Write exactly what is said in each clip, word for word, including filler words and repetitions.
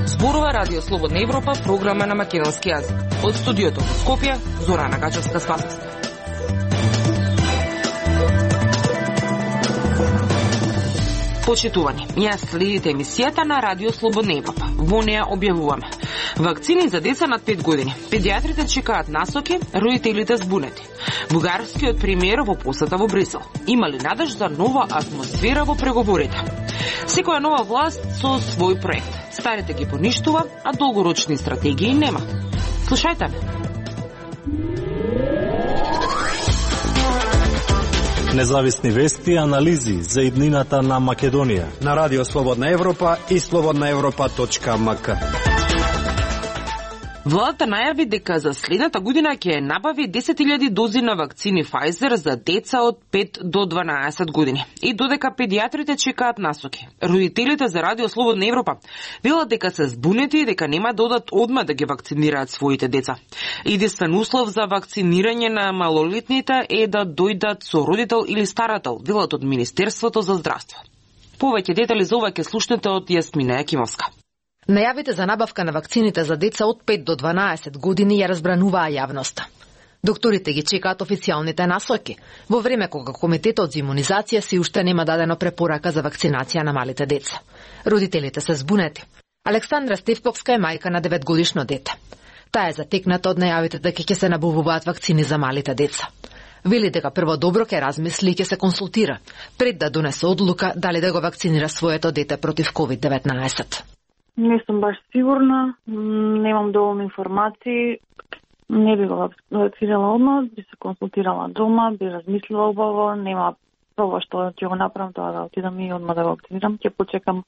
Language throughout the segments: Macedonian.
Зборува Радио Слободна Европа, програма на македонски јазик. Од студиото во Скопје, Зорана Гачевска-Спасовска. Почитувани, ја следите емисијата на Радио Слободна Европа. Во неја објавуваме вакцини за деца над пет години. Педиатрите чекаат насоки, родителите збунети. Бугарскиот премиер во посета во Брисел. Има ли надеж за нова атмосфера во преговорите? Секоја нова власт со свој проект. Старите ги поништува, а долгорочни стратегии нема. Слушајте ме. Независни вести и анализи за иднината на Македонија на Радио Слободна Европа и слободна европа точка ем ка. Владата најави дека за следната година ќе набави десет илјади дози на вакцини Pfizer за деца од пет до дванаесет години. И додека педиатрите чекаат насоки. Родителите за Радио Слободна Европа велат дека се збунети и дека нема да одат одма да ги вакцинираат своите деца. Единствен услов за вакцинирање на малолетните е да дојдат со родител или старател, велат од Министерството за здравство. Повеќе детали за ова ќе слушнете од Јасмина Јакимовска. Најавите за набавка на вакцините за деца од пет до дванаесет години ја разбрануваа јавноста. Докторите ги чекаат официјалните насоки, во време кога Комитетот за имунизација си уште нема дадено препорака за вакцинација на малите деца. Родителите се збунети. Александра Стевковска е мајка на деветгодишно дете. Таа е затекната од најавите дека ќе се набавуваат вакцини за малите деца. Вели дека прво добро ќе размисли и ќе се консултира, пред да донесе одлука дали да го вакцинира своето дете против ковид деветнаесет. Не сум баш сигурна, немам доволно информации, не би го вакцинирала одмah, би се консултирала дома, би размислила убаво, нема прво што ќе го направам тоа да отидам и одмah да го вакцинирам, ќе почекам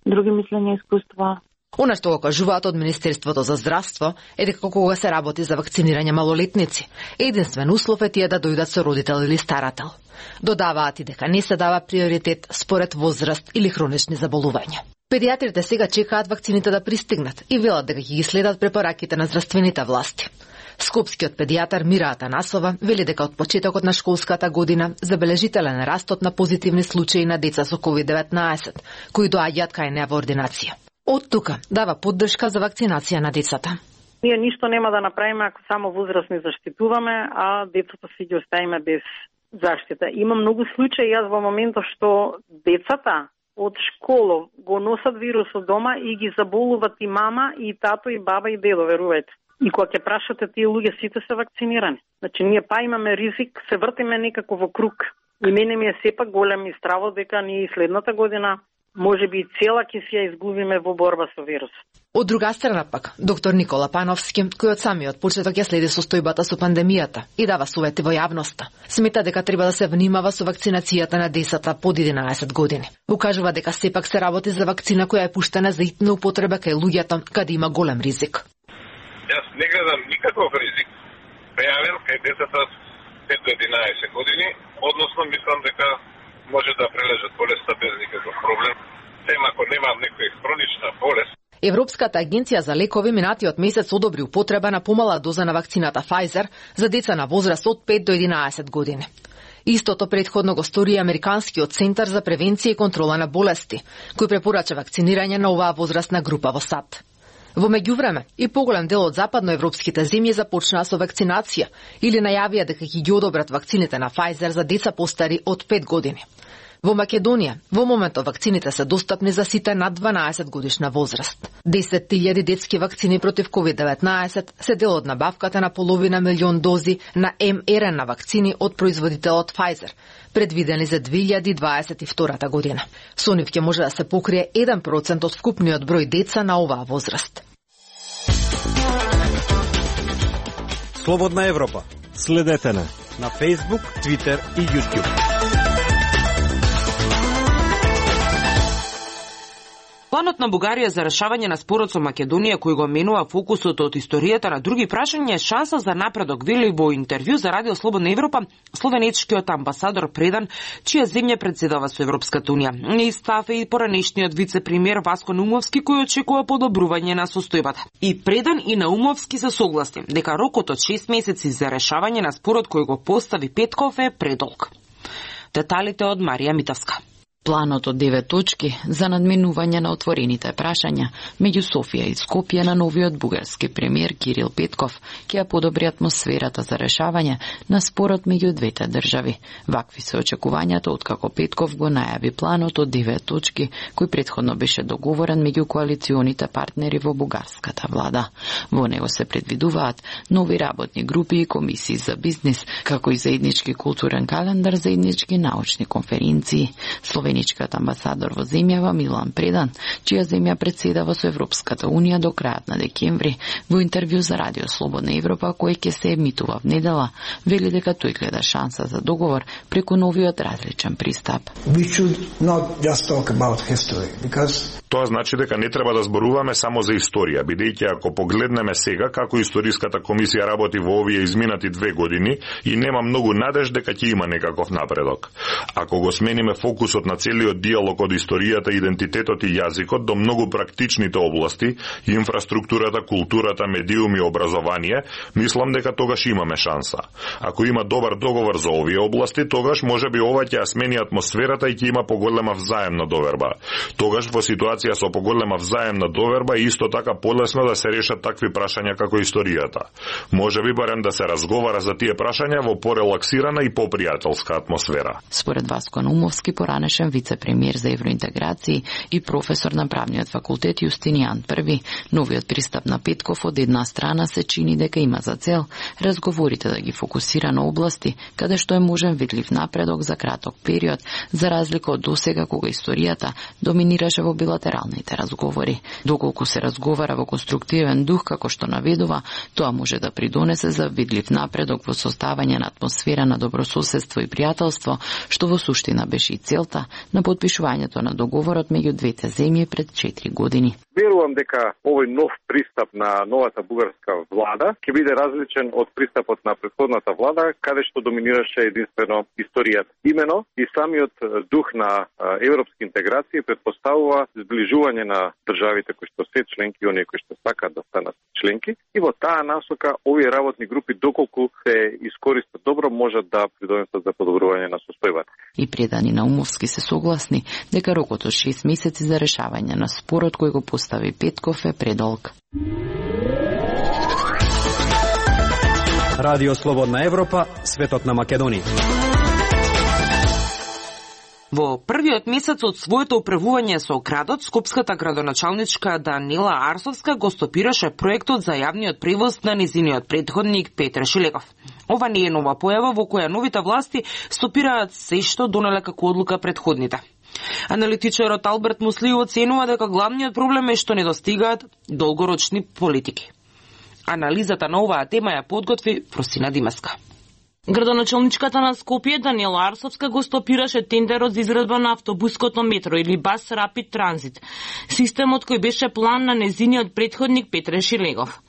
други мислења и искуства. Она што го кажуваат од Министерството за здравство е дека кога се работи за вакцинирање малолетници, единствен услов е тие да дојдат со родител или старател. Додаваат и дека не се дава приоритет според возраст или хронични заболувања. Педиатрите сега чекаат вакцините да пристигнат и велат дека ќе ги следат препораките на здравствените власти. Скопскиот педијатар Мира Атанасова вели дека од почетокот на школската година забележителен растот на позитивни случаи на деца со ковид деветнаесет, кои доаѓаат кај неа во ординација. Од тука дава поддршка за вакцинација на децата. Ние ништо нема да направиме ако само возрастни заштитуваме, а децата си ги оставиме без заштита. Има многу случаи, јас во моментот што децата од школа го носат вирусот дома и ги заболуват и мама, и тато, и баба, и дедо, верувајте. И кога ќе прашате тие луѓе, сите се вакцинирани. Значи, ние па имаме ризик, се вртиме некако во круг. И мене ми е сепак голем и страво дека ние и следната година може би цела ќе си ја изгубиме во борба со вирусот. Од друга страна пак, доктор Никола Пановски, кој од самиот почеток ја следи состојбата со пандемијата и дава совети во јавноста, смета дека треба да се внимава со вакцинацијата на децата под единаесет години. Укажува дека сепак се работи за вакцина која е пуштена за итна употреба кај луѓето каде има голем ризик. Јас не гледам никаков ризик прејавен кај децата пет до единаесет години, односно мислам дека може да прележат болеста без никаков проблем, тема ако нема некоја хронична болест. Европската агенција за лекови минатиот месец одобри употреба на помала доза на вакцината Pfizer за деца на возраст од пет до единаесет години. Истото претходно го стори Американскиот центар за превенција и контрола на болести, кој препорача вакцинирање на оваа возрастна група во САД. Во меѓувреме, и поголем дел од западноевропските земји започнаа со вакцинација или најавија дека ќе ги одобрат вакцините на Pfizer за деца постари од пет години. Во Македонија, во моментот вакцините се достапни за сите над дванаесет годишна возраст. десет илјади детски вакцини против ковид деветнаесет се дел од набавката на половина милион дози на ем ер ен ей вакцини од производителот Pfizer, предвидени за две илјади дваесет и втора година. Со нив ќе може да се покрие еден процент од вкупниот број деца на оваа возраст. Слободна Европа. Следете на на Facebook, Twitter и YouTube. Планот Планот на Бугарија за решавање на спорот со Македонија, кој го менува фокусот од историјата на други прашања, е шанса за напредок, вели во интервју за Радио Слободна Европа словенечкиот амбасадор Предан, чија земја председава со Европската унија. Истав и поранешниот вице-премиер Васко Наумовски, кој очекува подобрување на состојбата. И Предан и Наумовски се согласни дека рокот од шест месеци за решавање на спорот кој го постави Петков е предолг. Деталите од Марија Митовска. Планот од девет точки за надминување на отворените прашања меѓу Софија и Скопје на новиот бугарски премиер Кирил Петков ќе ја подобри атмосферата за решавање на спорот меѓу двете држави. Вакви се очекувањата откако Петков го најави планот од девет точки кој претходно беше договорен меѓу коалиционите партнери во бугарската влада. Во него се предвидуваат нови работни групи и комисии за бизнис, како и заеднички културен календар, заеднички научни конференции. Словеничкиот амбасадор во земјава Милан Предан, чија земја председава со Европската унија до крајот на декември, во интервју за Радио Слободна Европа, кој ќе се емитува в недела, вели дека тој гледа шанса за договор преку новиот различен пристап. Тоа значи дека не треба да зборуваме само за историја, бидејќи ако погледнеме сега како историската комисија работи во овие изминати две години и нема многу надеж дека ќе има некаков напредок. Ако го смениме фокусот на целиот диалог од историјата, идентитетот и јазикот до многу практичните области, инфраструктурата, културата, медиуми и образование, мислам дека тогаш имаме шанса. Ако има добар договор за овие области, тогаш можеби ова ќе ја смени атмосферата и ќе има поголема взаемна доверба. Тогаш во ситуација со поголема взаемна доверба е исто така полесно да се решат такви прашања како историјата. Можеби барем да се разговара за тие прашања во порелаксирана и попријателска атмосфера. Според Васко Наумовски, поранешен вице-премиер за евроинтеграции и професор на правниот факултет Јустинијан Први, новиот пристап на Петков од една страна се чини дека има за цел разговорите да ги фокусира на области каде што е можен видлив напредок за краток период, за разлика од досега кога историјата доминираше во билатералните разговори. Доколку се разговара во конструктивен дух, како што наведува, тоа може да придонесе за видлив напредок во составање на атмосфера на добрососедство и пријателство, што во суштина беше и целта на подпишувањето на договорот меѓу двете земји пред четири години. Верувам дека овој нов пристап на новата бугарска влада ќе биде различен од пристапот на претходната влада, каде што доминираше единствено историјата. Имено и самиот дух на европски интеграција претпоставува зближување на државите кои што се членки и оние кои што сакаат да станат членки, и во таа насока овие работни групи, доколку се искористат добро, можат да придонесат за подобрување на состојбата. И Предан и Наумовски се согласни дека рокот од шест месеци за решавање на спорот кој го постави Петков е предолг. Радио Слободна Европа, светот на Македонија. Во првиот месец од своето управување со градот, скопската градоначалничка Данила Арсовска го стопираше проектот за јавниот превоз на незиниот претходник Петре Шилегов. Ова не е нова појава во која новите власти стопираат се што донеле како одлука претходните. Аналитичарот Алберт Мусли оценува дека главниот проблем е што недостигаат долгорочни политики. Анализата на оваа тема ја подготви Просина Димеска. Градоначалничката на Скопје Данила Арсовска го стопираше тендерот за изградба на автобуското метро или Бас Рапид Транзит, системот кој беше план на незиниот претходник Петре Шилегов.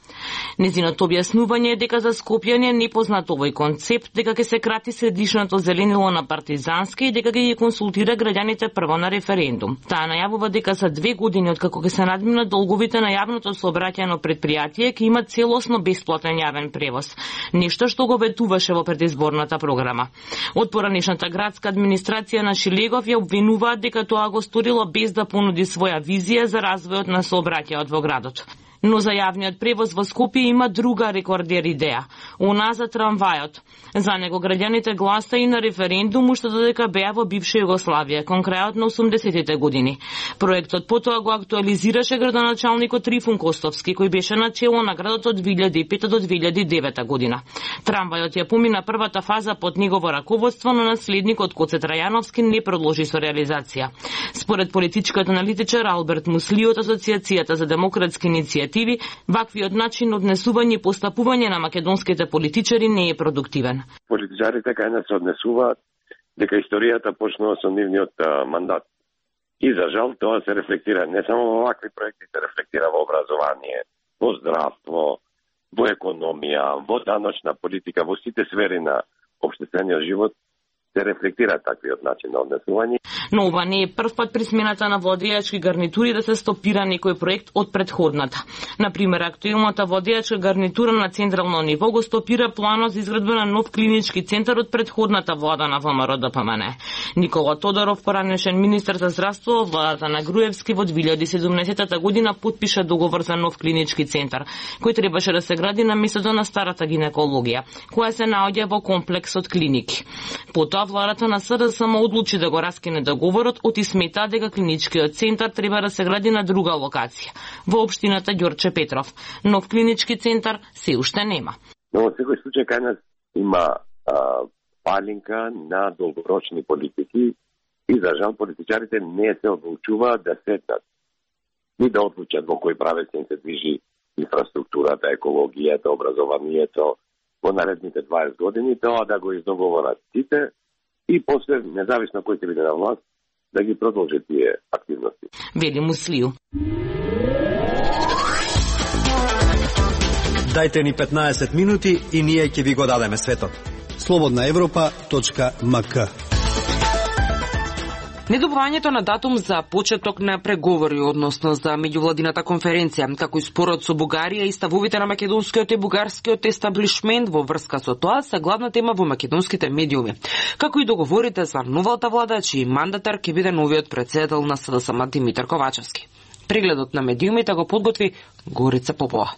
Незиното објаснување е дека за Скопјани е непознат овој концепт, дека ќе се крати средишното зеленило на Партизанска и дека ќе ги консултира граѓаните прво на референдум. Таа најавува дека за две години откако ќе се надминат долговите на јавното сообраќајно предпријатие ќе има целосно бесплатен јавен превоз, нешто што го ветуваше во предизборната програма. Од поранешната градска администрација на Шилегов ја обвинуваат дека тоа го сторило без да понуди своја визија за развојот на сообраќајот во градот. Но за јавниот превоз во Скопје има друга рекордер идеја, она за трамвајот. За него граѓаните гласа и на референдум уште додека беа во бивша Југославија, кон крајот на осумдесетите години. Проектот потоа го актуализираше градоначалникот Трифун Костовски, кој беше на чело на градот од две илјади и пета до две илјади и девета година. Трамвајот ја помина првата фаза под негово раководство, но наследникот Коце Трајановски не продолжи со реализација. Според политичкиот аналитичар Алберт Мусли од Асоциацијата за демократски иницијативи, ваквиот начин однесување и постапување на македонските политичари не е продуктивен. Политичарите кај нас се однесуваат дека историјата почнува со нивниот мандат. И за жал тоа се рефлектира не само во вакви проекти, се рефлектира во образование, во здравство, во економија, во даночна политика, во сите сфери на општествениот живот се рефлектира таквиот начин на однесување. Но ова не е прв пат при смената на водијачки гарнитури да се стопира некој проект од претходната. Например, актуелната водијачка гарнитура на централно ниво го стопира планот за изградба на нов клинички центар од претходната влада на ВМРО Д П М Н. Никола Тодоров, поранешен министер за здравство во владата на Груевски во две илјади и седумнаесета година подпиша договор за нов клинички центар, кој требаше да се гради на местото на старата гинекологија, која се наоѓа во комплекс од клиники. Потоа владата на С Д С М одлучи да го раскине договорот, оти смета дека клиничкиот центар треба да се гради на друга локација, во општината Ѓорче Петров. Нов клинички центар се уште нема. Но во секој случај кај нас има а, палинка на долгорочни политики и за жал политичарите не се одлучуваат да седнат ни да одлучат во кој правец се движи инфраструктурата, екологијата, образованието во наредните дваесет години, тоа да го издоговорат сите и после, независно кој ќе биде на власт, да ги продолжи тие активности. Вели Муслију. Дајте ни петнаесет минути и ние ќе ви го дадеме светот. слободна европа точка м к. Недобивањето на датум за почеток на преговори, односно за меѓувладината конференција, како и спорот со Бугарија и ставовите на македонскиот и бугарскиот естаблишмент во врска со тоа, се главна тема во македонските медиуми, како и договорите за новата влада, чиј мандатар ќе биде новиот претседател на С Д С М Димитар Ковачевски. Прегледот на медиумите го подготви Горица Попова.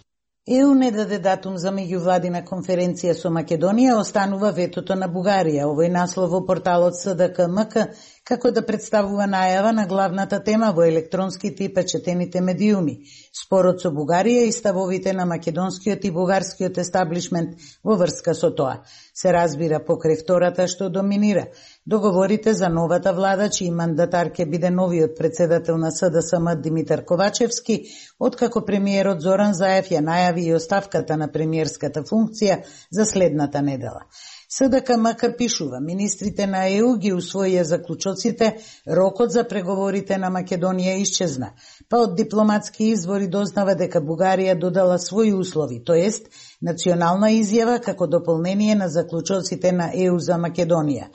Е У не даде датум за меѓувладина конференција со Македонија, останува ветото на Бугарија. Овој наслов во порталот С Д К М К како да представува најава на главната тема во електронските и печатените медиуми, спорот со Бугарија и ставовите на македонскиот и бугарскиот естаблишмент во врска со тоа. Се разбира покрај втората што доминира. Договорите за новата влада, чиј мандатар ќе биде новиот претседател на С Д С М Димитар Ковачевски, откако премиерот Зоран Заев ја најави и оставката на премиерската функција за следната недела. С Д К М К пишува, министрите на Е У ги усвоија заклучоците, рокот за преговорите на Македонија исчезна, па од дипломатски извори дознава дека Бугарија додала своји услови, то ест национална изјава како дополнение на заклучоците на Е У за Македонија.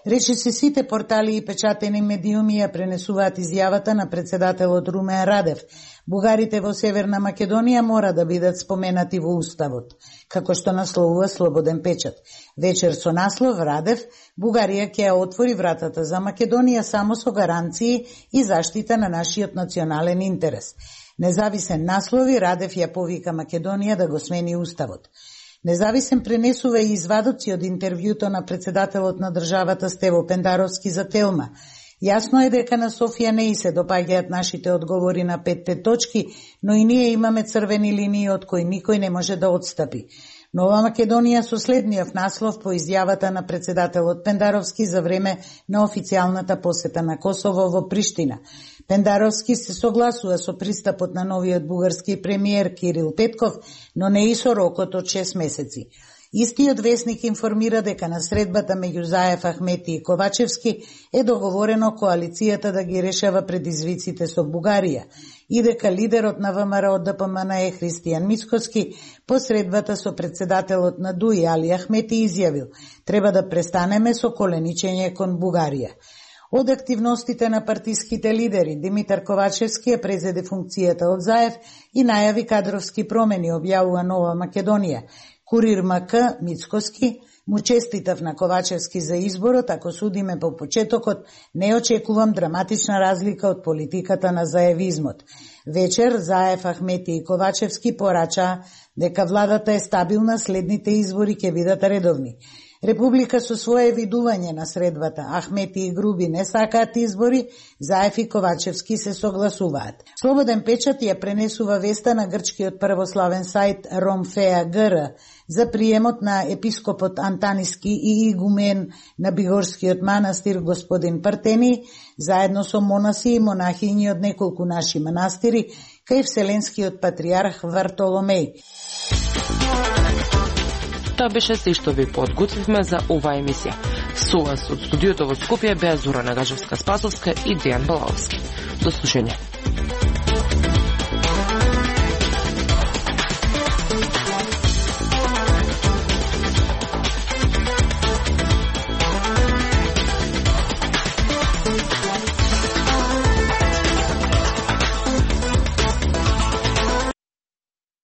Рече се сите портали и печатени медиуми ја пренесуваат изјавата на председателот Румен Радев. Бугарите во Северна Македонија мора да бидат споменати во Уставот, како што насловува Слободен печат. Вечер со наслов Радев, Бугарија ќе ја отвори вратата за Македонија само со гаранции и заштита на нашиот национален интерес. Независен наслови, Радев ја повика Македонија да го смени Уставот. Независен пренесува и извадоци од интервјуто на председателот на државата Стево Пендаровски за Телма. Јасно е дека на Софија не и се допаѓаат нашите одговори на петте точки, но и ние имаме црвени линии од кои никој не може да отстапи. Нова Македонија со следниот наслов по изјавата на председателот Пендаровски за време на официјалната посета на Косово во Приштина. Пендаровски се согласува со пристапот на новиот бугарски премиер Кирил Петков, но не и со рокот од шест месеци. Истиот весник информира дека на средбата меѓу Заев, Ахмети и Ковачевски е договорено коалицијата да ги решава предизвиците со Бугарија и дека лидерот на ВМРО Д П М Н е Христијан Мицкоски по средбата со председателот на Д У И Али Ахмети изјавил: треба да престанеме со коленичење кон Бугарија. Од активностите на партиските лидери, Димитар Ковачевски ја презеде функцијата од Заев и најави кадровски промени, објавува Нова Македонија. Курир М К Мицкоски му честитав на Ковачевски за изборот, ако судиме по почетокот, не очекувам драматична разлика од политиката на заевизмот. Вечер Заев, Ахмети и Ковачевски порачаа дека владата е стабилна, следните избори ќе бидат редовни. Република со свое видување на средбата, Ахмети и Груби не сакаат избори, Заев и Ковачевски се согласуваат. Слободен печат ја пренесува веста на грчкиот православен сајт Ромфеа Г Р за приемот на епископот Антаниски и игумен на Бигорскиот манастир господин Партени, заедно со монаси и монахињи од неколку наши манастири, кај Вселенскиот патриарх Вартоломеј. Тоа беше се што ви подготвивме за оваа емисија. Со вас од студиото во Скопје беа Зора Нагажевска-Спасовска и Дејан Балаовски. До слушање.